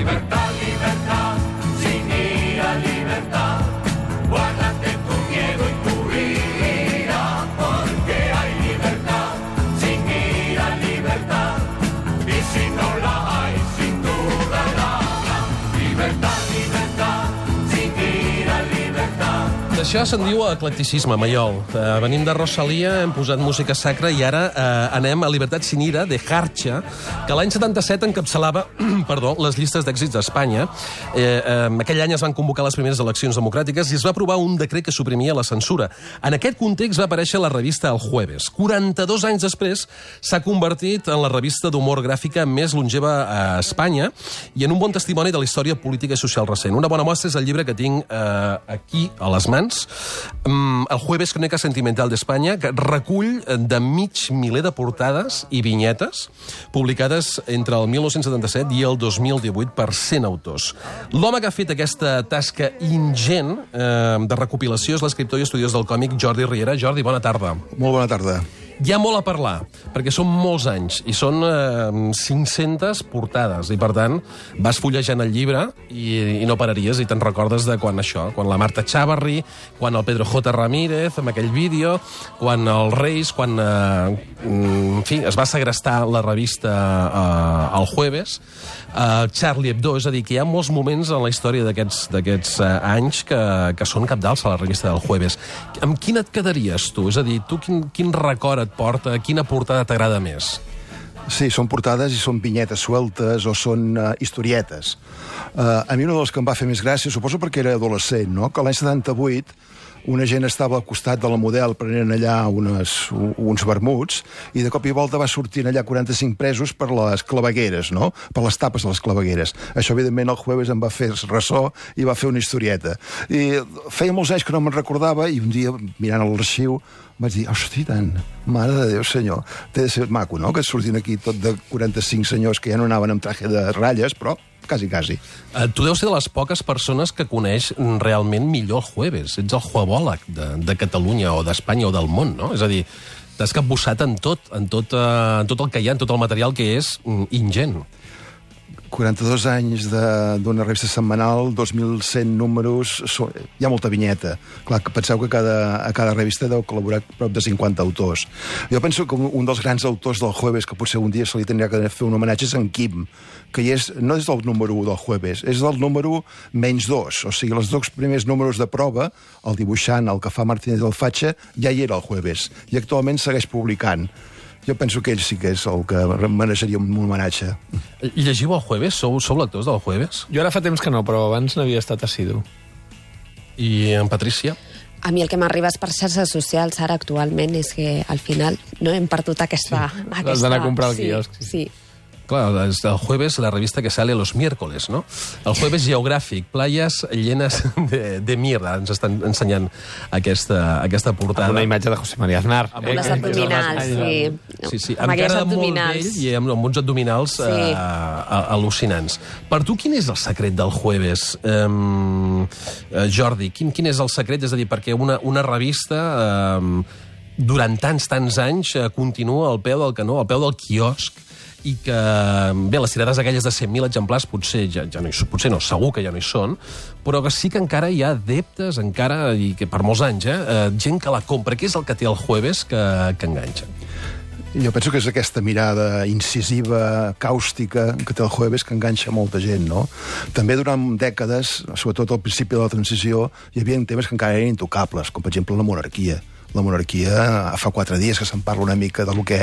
Libertad, libertad, sin ira, libertad. Guárdate tu miedo y tu ira, porque hay libertad, sin ira, libertad. Y si no la hay, sin duda la habrá. Libertad, libertad, sin ira, libertad. D'això se'n diu eclecticisme, Maiol. Venim de Rosalia, hem posat música sacra i ara anem a Libertad sin ira, de Jarcha, que l'any 77 encapçalava les llistes d'èxits d'Espanya. Aquell any es van convocar les primeres eleccions democràtiques i es va aprovar un decret que suprimia la censura. En aquest context va aparèixer la revista El Jueves. 42 anys després s'ha convertit en la revista d'humor gràfica més longeva a Espanya i en un bon testimoni de la història política i social recent. Una bona mostra és el llibre que tinc aquí a les mans, El Jueves, Crónica Sentimental d'Espanya, que recull de mig miler de portades i vinyetes publicades entre el 1977 i el 2018 per 100 autors. L'home que ha fet aquesta tasca ingent de recopilació és l'escriptor i estudiós del còmic Jordi Riera. Jordi, bona tarda. Molt bona tarda. Hi ha molt a parlar, perquè són molts anys, i són 500 portades, i per tant vas fullejant el llibre i no pararies, i te'n recordes de quan la Marta Chavarri, quan el Pedro J. Ramírez, amb aquell vídeo, quan els Reis, quan en fi, es va segrestar la revista El Jueves, Charlie Hebdo, és a dir, que hi ha molts moments en la història d'aquests anys que són cabdals a la revista del Jueves. Amb quina et quedaries, tu? És a dir, tu quin record et porta? Quina portada t'agrada més? Sí, són portades i són vinyetes sueltes o són historietes. A mi una de les que em va fer més gràcia, suposo perquè era adolescent, no? Que l'any 78 una gent estava al costat de la Model prenent allà uns vermuts i de cop i volta va sortir allà 45 presos per les clavegueres, no? Per les tapes de les clavegueres. Això, evidentment, el Jueves em va fer ressò i va fer una historieta. I feia molts anys que no me'n recordava i un dia, mirant l'arxiu, vaig dir, hosti, tant, mare de Déu, senyor. Té de ser maco, no?, que surtin aquí tot de 45 senyors que ja no anaven amb traje de ratlles, però quasi. Tu deus ser de les poques persones que coneix realment millor el Jueves. Ets el juebòleg de Catalunya o d'Espanya o del món, no? És a dir, t'has capbussat en tot el que hi ha, en tot el material que és ingent. 42 anys d'una revista setmanal, 2.100 números, hi ha molta vinyeta. Clar, penseu que a cada revista deu col·laborar prop de 50 autors. Jo penso que un dels grans autors del Jueves, que potser un dia se li tindria que fer un homenatge, és en Quim, que no és del número 1 del Jueves, és del número -2. O sigui, els 2 primers números de prova, el dibuixant, el que fa Martínez del Fatxa, ja hi era al Jueves, i actualment segueix publicant. Jo penso que ell sí que és el que mereixeria un homenatge. Llegiu el Jueves? Sou lectors del Jueves? Jo ara fa temps que no, però abans n'havia estat assidu. I en Patrícia? A mi el que m'arriba per xarxes socials ara actualment és que al final no hem perdut aquesta... Has d'anar a comprar al quiosc. Sí. Claro, el Jueves, la revista que sale los miércoles, ¿no? El Jueves geogràfic, playas llenas de mierda. Ens estan ensenyant aquesta portada. Amb una imatge de José María Aznar. Amb unes abdominals, sí. Sí, amb cara molt vell i amb uns abdominals al·lucinants. Per tu, quin és el secret del Jueves, Jordi? Quin és el secret? És a dir, perquè una revista durant tants anys continua al peu del canó, al peu del quiosc, i que, bé, les tirades aquelles de 100.000 exemplars potser no, segur que ja no hi són, però que sí que encara hi ha adeptes, encara, i que per molts anys, gent que la compra. Què és el que té el Jueves que enganxa? Jo penso que és aquesta mirada incisiva, càustica, que té el Jueves, que enganxa molta gent, no? També durant dècades, sobretot al principi de la transició, hi havia temes que encara eren intocables, com per exemple la monarquia. La monarquia, fa 4 dies que se'n parla una mica del que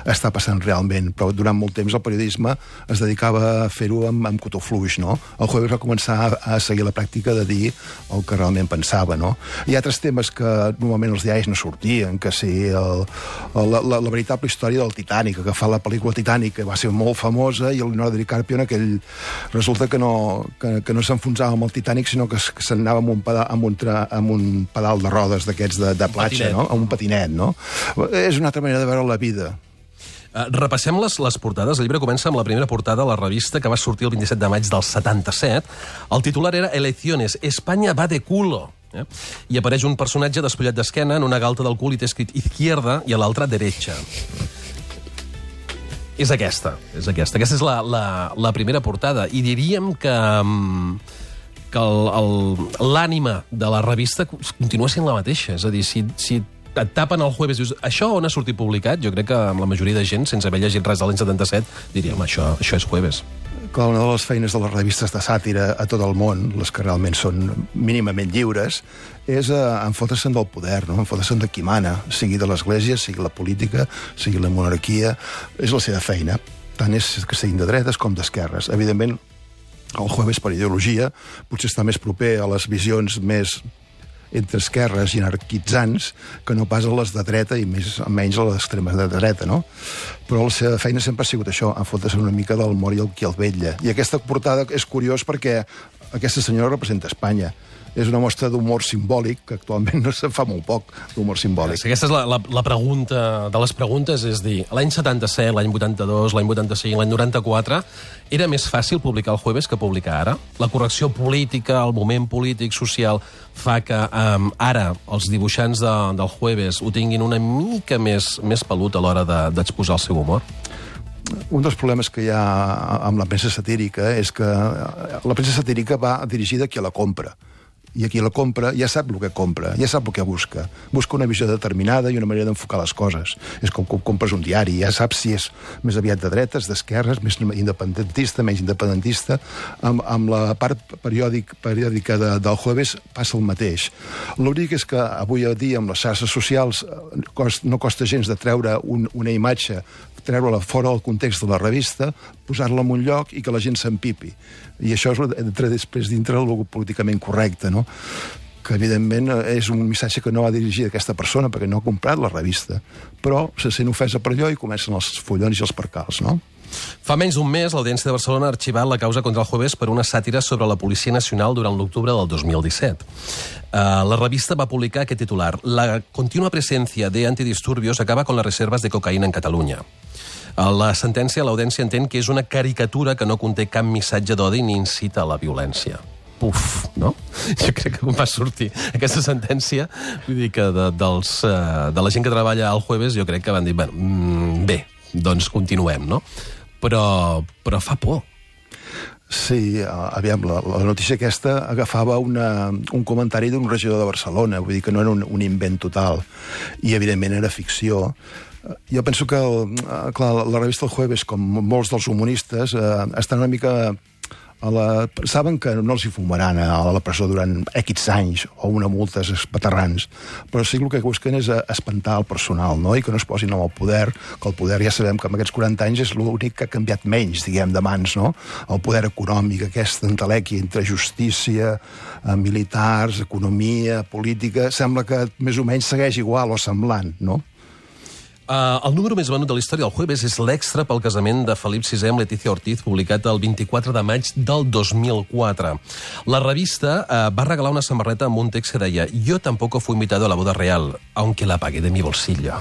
està passant realment, però durant molt temps el periodisme es dedicava a fer-ho amb cotó fluix, no? El Jueves va començar a seguir la pràctica de dir el que realment pensava, no? Hi ha altres temes que normalment els diaris no sortien, que sí, la veritable història del Titanic, que fa la pel·lícula Titanic, que va ser molt famosa, i el Leonardo DiCaprio en aquell... Resulta que no s'enfonsava amb el Titanic, sinó que s'anava amb un pedal de rodes d'aquests de platja, no? Amb un patinet, no? És una altra manera de veure la vida. Repassem les portades. El llibre comença amb la primera portada de la revista, que va sortir el 27 de maig del 77. El titular era Elecciones, España va de culo. I apareix un personatge despullat d'esquena en una galta del cul i té escrit izquierda i a l'altra derecha. és aquesta. Aquesta és la primera portada. I diríem que l'ànima de la revista continua sent la mateixa. És a dir, si et tapen el Jueves i dius, això on ha sortit publicat? Jo crec que amb la majoria de gent, sense haver llegit res de l'any 77, diríem, això és Jueves. Clar, una de les feines de les revistes de sàtira a tot el món, les que realment són mínimament lliures, és enfotre-se'n del poder, no? Enfotre-se'n de qui mana, sigui de l'Església, sigui la política, sigui la monarquia. És la seva feina. Tant és que siguin de dretes com d'esquerres. Evidentment, el Jueves, per ideologia, potser està més proper a les visions més entre esquerres i anarquitzants que no pas a les de dreta i menys a les extremes de dreta, no? Però la seva feina sempre ha sigut això, enfotre-se una mica del mort i el qui el vetlla. I aquesta portada és curiós perquè aquesta senyora representa Espanya. És una mostra d'humor simbòlic, que actualment no se'n fa molt poc, d'humor simbòlic. Sí, aquesta és la pregunta de les preguntes, és dir, l'any 77, l'any 82, l'any 85, l'any 94, era més fàcil publicar el Jueves que publicar ara? La correcció política, el moment polític, social, fa que ara els dibuixants del Jueves ho tinguin una mica més pelut a l'hora d'exposar el seu humor? Un dels problemes que hi ha amb la premsa satírica és que la premsa satírica va dirigida a qui la compra. I aquí la compra ja sap el que compra, ja sap el que busca. Busca una visió determinada i una manera d'enfocar les coses. És com compres un diari, ja saps si és més aviat de dretes, d'esquerres, més independentista, menys independentista. Amb la part periòdica del Jueves passa el mateix. L'únic és que avui a dia amb les xarxes socials no costa gens de treure una imatge, treure-la fora del context de la revista, posar-la en un lloc i que la gent s'empipi. I això entra després dintre el políticament correcte, no? Que evidentment és un missatge que no va dirigir a aquesta persona perquè no ha comprat la revista, però se sent ofesa per allò i comencen els follons i els percals, no? Fa menys d'un mes, l'Audiència de Barcelona ha arxivat la causa contra el Jueves per una sàtira sobre la Policia Nacional durant l'octubre del 2017. La revista va publicar aquest titular: La continua presencia de antidisturbios acaba con las reservas de cocaïna en Catalunya. La sentència, l'Audiència entén que és una caricatura que no conté cap missatge d'odi ni incita a la violència. Puf, no? Jo crec que quan va sortir aquesta sentència, vull dir que de la gent que treballa al Jueves, jo crec que van dir, bé, doncs continuem, no? Però fa por. Sí, aviam, la notícia aquesta agafava un comentari d'un regidor de Barcelona, vull dir que no era un invent total, i evidentment era ficció. Jo penso que, clar, la revista El Jueves, com molts dels humoristes, estan una mica... saben que no els hi fumaran a la presó durant X anys o una multa espaterrants, però sí que el que busquen és espantar el personal, no? I que no es posin amb el poder, que el poder ja sabem que en aquests 40 anys és l'únic que ha canviat menys, diguem, de mans, no? El poder econòmic, aquest entelequi entre justícia, militars, economia, política, sembla que més o menys segueix igual o semblant, no? El número més venut de la història del Jueves és l'extra pel casament de Felip VI amb Leticia Ortiz, publicat el 24 de maig del 2004. La revista va regalar una samarreta amb un text que deia «Yo tampoco fui invitado a la boda real, aunque la pagué de mi bolsillo».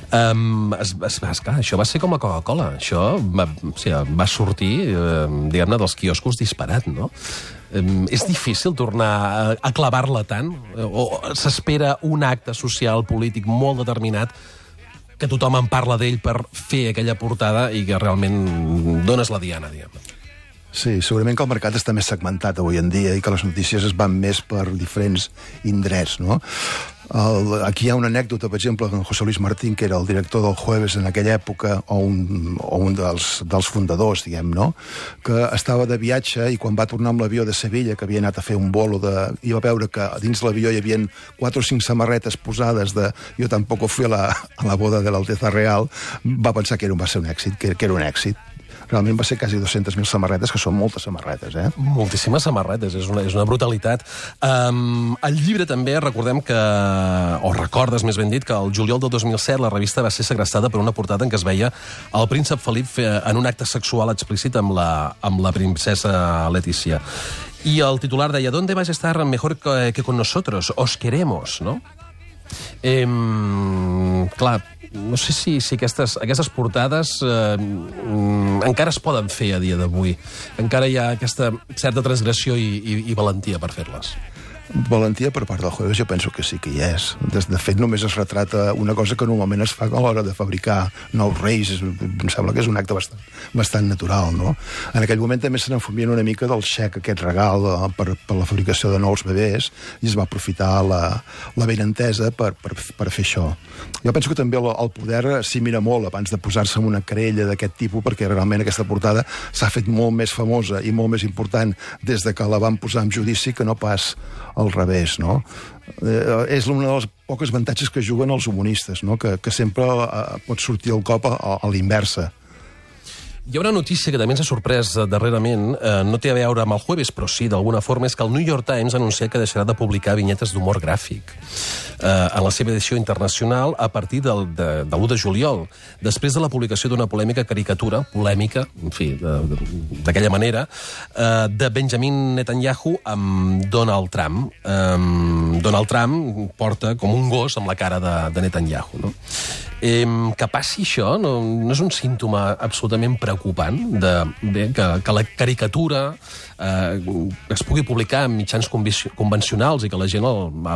Esclar, això va ser com la Coca-Cola. Això va sortir, diguem-ne, dels quioscos disparat, no? És difícil tornar a clavar-la tant? O s'espera un acte social, polític molt determinat que tothom en parla d'ell per fer aquella portada i que realment dones la diana, diguem-ne? Sí, segurament que el mercat està més segmentat avui en dia i que les notícies es van més per diferents indrets, no? Aquí hi ha una anècdota, per exemple, de José Luis Martín, que era el director del Jueves en aquella època, o un dels fundadors, diguem, no? Que estava de viatge i quan va tornar amb l'avió de Sevilla, que havia anat a fer un bolo i va veure que dins l'avió hi havia 4 o 5 samarretes posades de «Yo tampoco fui a la boda de l'Alteza Real», va pensar que va ser un èxit, que era un èxit. Realment va ser quasi 200.000 samarretes, que són moltes samarretes, eh? Moltíssimes samarretes, és una brutalitat. El llibre també, recordem que, o recordes més ben dit, que el juliol del 2007 la revista va ser segrestada per una portada en què es veia el príncep Felip en un acte sexual explícit amb la princesa Letícia. I el titular deia «¿Dónde vais a estar mejor que con nosotros? Os queremos», no? Clar, no sé si aquestes portades encara es poden fer a dia d'avui. Encara hi ha aquesta certa transgressió i valentia per fer-les. Valentia per part del Jueves jo penso que sí que hi és. De fet, només es retrata una cosa que normalment es fa a l'hora de fabricar nous reis. Em sembla que és un acte bastant natural, no? En aquell moment també se n'enfumien una mica del xec, aquest regal per la fabricació de nous bebès, i es va aprofitar la benentesa per fer això. Jo penso que també el poder s'hi mira molt abans de posar-se en una querella d'aquest tipus, perquè realment aquesta portada s'ha fet molt més famosa i molt més important des de que la van posar en judici que no pas al revés, no? És una de les poques avantatges que juguen els humoristes, no? Que sempre pot sortir el cop a l'inversa. Hi ha una notícia que també ens ha sorprès darrerament, no té a veure amb el Jueves, però sí, d'alguna forma, és que el New York Times ha anunciat que deixarà de publicar vinyetes d'humor gràfic en la seva edició internacional a partir de l'1 de juliol, després de la publicació d'una polèmica polèmica, en fi, d'aquella manera, de Benjamin Netanyahu amb Donald Trump. Donald Trump porta com un gos amb la cara de Netanyahu, no? Que passi això no és un símptoma absolutament preocupant que la caricatura es pugui publicar en mitjans convencionals i que la gent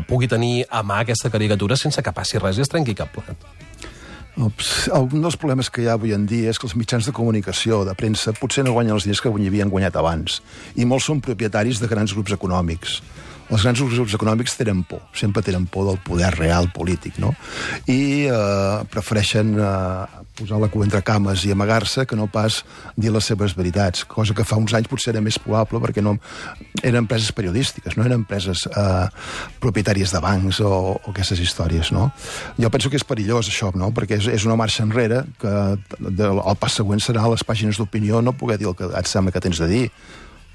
pugui tenir a mà aquesta caricatura sense que passi res i es trenqui cap plat. Un dels problemes que hi ha avui en dia és que els mitjans de comunicació, de premsa, potser no guanyen els diners que havien guanyat abans, i molts són propietaris de grans grups econòmics. Els grans grups econòmics tenen por, sempre tenen por del poder real polític, no? I prefereixen posar la cua entre cames i amagar-se que no pas dir les seves veritats, cosa que fa uns anys potser era més probable perquè no eren empreses periodístiques, no eren empreses propietàries de bancs o aquestes històries, no? Jo penso que és perillós això, no? Perquè és una marxa enrere que el pas següent serà a les pàgines d'opinió no poder dir el que et sembla que tens de dir.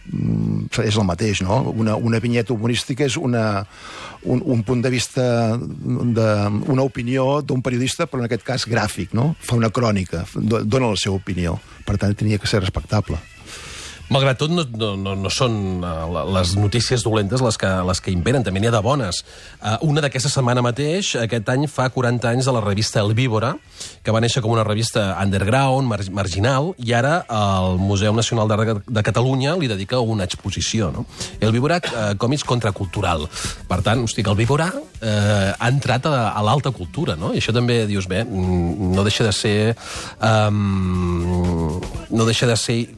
És el mateix, no? Una vinyeta humorística és un punt de vista, una opinió d'un periodista, però en aquest cas gràfic, no? Fa una crònica, dona la seva opinió. Per tant, tenia que ser respectable. Malgrat tot, no són les notícies dolentes les que imperen, també n'hi ha de bones. Una d'aquesta setmana mateix, aquest any fa 40 anys de la revista El Víbora, que va néixer com una revista underground, marginal, i ara el Museu Nacional d'Art de Catalunya li dedica una exposició, no? El Víbora, còmics contracultural. Per tant, el Víbora ha entrat a l'alta cultura, no? I això també, dius, bé, no deixa de ser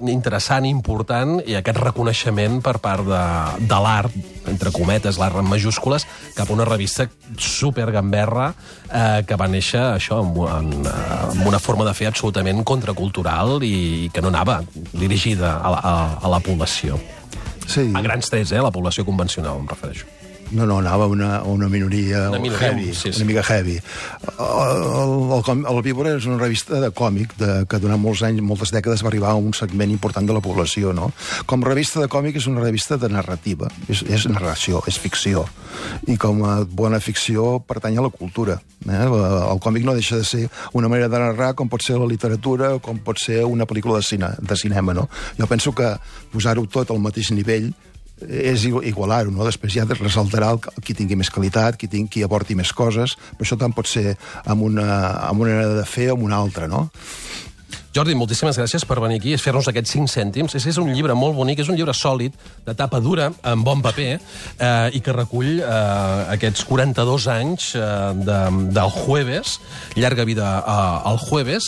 interessant i important, i aquest reconeixement per part de l'art, entre cometes, l'art en majúscules, cap a una revista supergamberra que va néixer això amb una forma de fer absolutament contracultural i que no anava dirigida a la població. Sí. A grans trets, la població convencional, em refereixo. No, anava a una minoria heavy, sí. Una mica heavy. El Víbora és una revista de còmic que durant molts anys, moltes dècades, va arribar a un segment important de la població, no? Com a revista de còmic és una revista de narrativa, és narració, és ficció, i com a bona ficció pertany a la cultura. El còmic no deixa de ser una manera de narrar, com pot ser la literatura, com pot ser una pel·lícula de cinema, no? Jo penso que posar-ho tot al mateix nivell és igualar-ho, no? Després ja ressaltarà qui tingui més qualitat, qui aporti més coses, però això tant pot ser amb una manera de fer o amb una altra, no? Jordi, moltíssimes gràcies per venir aquí i fer-nos aquests 5 cèntims. És un llibre molt bonic, és un llibre sòlid, de tapa dura, amb bon paper, i que recull aquests 42 anys del Jueves, llarga vida al Jueves,